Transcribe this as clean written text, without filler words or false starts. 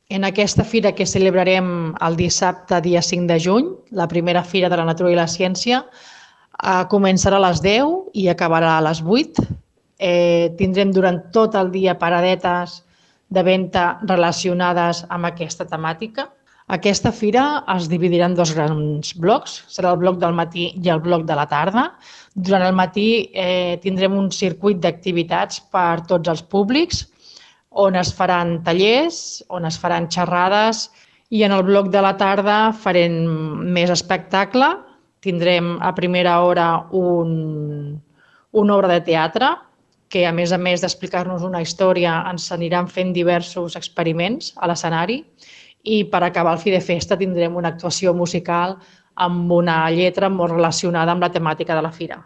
En aquesta fira que celebrarem el dissabte, dia 5 de juny, la primera fira de la natura i la ciència, començarà a les 10 i acabarà a les 8. Tindrem durant tot el dia paradetes de venda relacionades amb aquesta temàtica. Aquesta fira es dividirà en dos grans blocs. Serà el bloc del matí i el bloc de la tarda. Durant el matí tindrem un circuit d'activitats per tots els públics, on es faran tallers, on es faran xerrades, i en el bloc de la tarda farem més espectacle. Tindrem a primera hora una obra de teatre que, a més d'explicar-nos una història, ens aniran fent diversos experiments a l'escenari, i per acabar el fi de festa tindrem una actuació musical amb una lletra molt relacionada amb la temàtica de la fira.